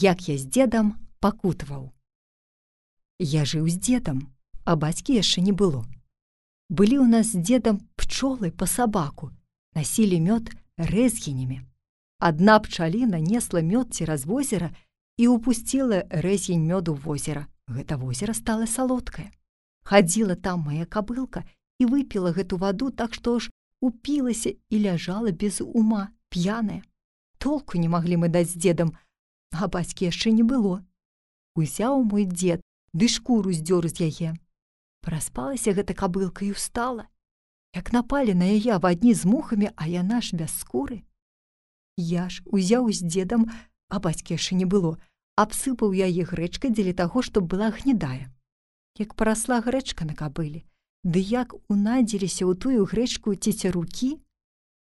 як я з дзедам пакутаваў. Я жыў з дзедам, а бацькі яшчэ не было. Былі ў нас з дзедам пчолы па сабаку, насілі мёд рэзгінямі. Адна пчаліна несла мёд цераз возера і ўпусціла рэзгінь мёду ў возера. Гэта возера стала салодкае. Хадзіла там мая кабылка і выпіла гэту ваду, так што ж упілася і ляжала без ума, п'яная. Толку не маглі мы даць з дзедам, а бацькі яшчэ не было. Узяў мой дзед, ды шкуру здзёр з яе. Праспалася гэта кабылка і ўстала. Як напалі на яе авадні з мухамі, а яна ж без скуры. Я ж узяў з дзедам, а бацькі яшчэ не было, абсыпаў яе грэчкай дзеля таго, чтоб была гнедая. Як парасла грэчка на кабыле, ды як унадзіліся ў тую грэчку цецярукі,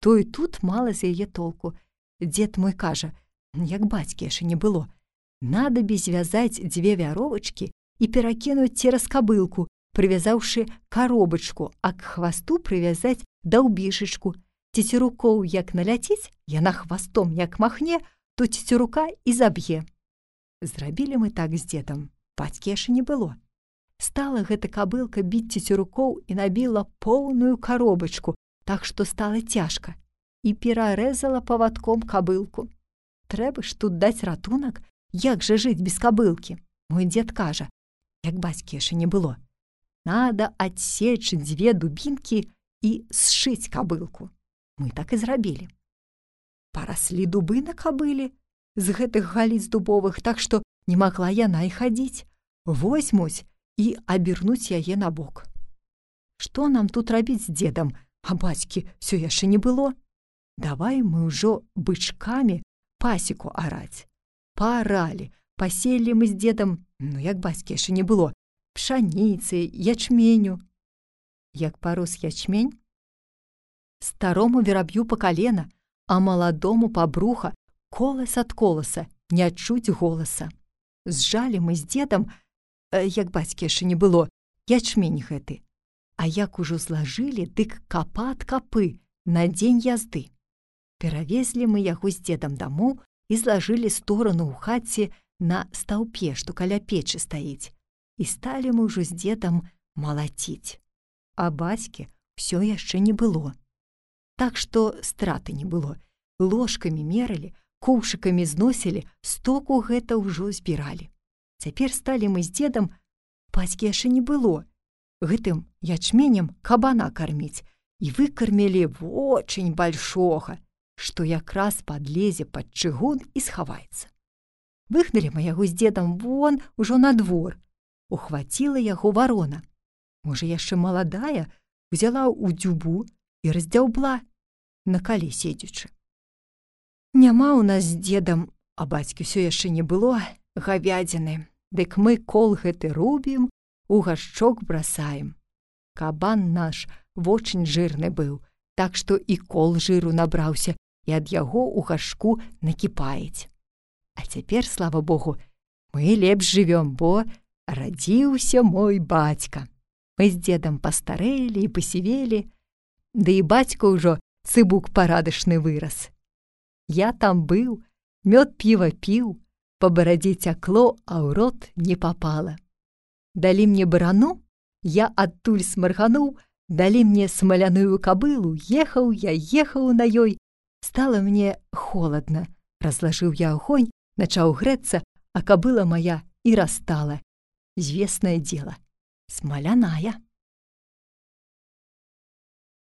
то і тут мала з яе толку. Дзед мой кажа, як бацькі яшчэ не было, надабе звязаць 2 вяровачкі і перакінуць цераз кабылку, прывязаўшы каробачку, а к хвасту прывязаць даўбішачку. Цецерукоў як наляціць, яна хвастом як махне, то цецерука і заб'е. Зрабілі мы так з дзедам, бацькі яшчэ не было. Стала гэта кабылка біць цецерукоў і набіла поўную каробачку, так што стала цяжка, і перарэзала павадком кабылку. Трэба ж тут даць ратунак, як жа жыць без кабылкі? Мой дзед кажа, як бацькі яшчэ не было, надо адсечь 2 дубінкі і сшыць кабылку. Мы так і зрабілі. Параслі дубы на кабыле з гэтых галіц дубовых, так што не магла яна і хадзіць. Возьмуць і абернуць яе на бок. Што нам тут рабіць з дзедам, а бацькі ўсё яшчэ не было? Давай мы ўжо бычкамі пасеку араць. Пааралі, паселі мы з дзедам, як бацькі яшчэ не было, пшаніцы, ячменю. Як парос ячмень, старому вераб'ю па калена, а маладому па бруха, колас ад коласа, не адчуць голаса. Зжалі мы з дзедам, як бацькі яшчэ не было, ячмень гэты. А як ужо злажылі, дык капа ад капы на дзень язды. Перавезлі мы яго з дзедам дамоў і злажылі сторону ў хаце на стаўпе, што каля печы стаіць. І сталі мы ўжо з дзедам малаціць. А бацькі ўсё яшчэ не было. Так што страты не было. Ложкамі мералі, кушыкамі зносілі, стоку гэта ўжо збіралі. Цяпер сталі мы з дзедам, бацькі яшчэ не было, гэтым ячменем кабана карміць, і выкармілі вочень большога, што якраз падлезе пад чыгун і схаваецца. Выгналі мы яго з дзедам вон ужо на двор. Ухваціла яго варона. Можа, яшчэ маладая, узяла ў дзюбу і раздзяўбла, на калі седзячы. Няма ў нас з дзедам, а бацькі ўсё яшчэ не было, гавядзіны. Дык мы кол гэты рубім, у гашчок брасаем. Кабан наш вочень жырны быў, так што і кол жыру набраўся, і ад яго ў гашку накіпаець. А цяпер, слава Богу, мы лепш жывём, бо радзіўся мой бацька. Мы з дзедам пастарэлі і пасівелі, ды і бацька ўжо цыбук парадачны вырас. Я там быў, мёд піва піў, па барадзе цякло, а ў рот не папала. Далі мне барану, я адтуль смаргануў, далі мне смаляную кабылу, ехаў на ёй. Стала мне холадна, разлажыў я агонь, начаў грэцца, а кабыла моя і растала. Звеснае дзела, смаляная.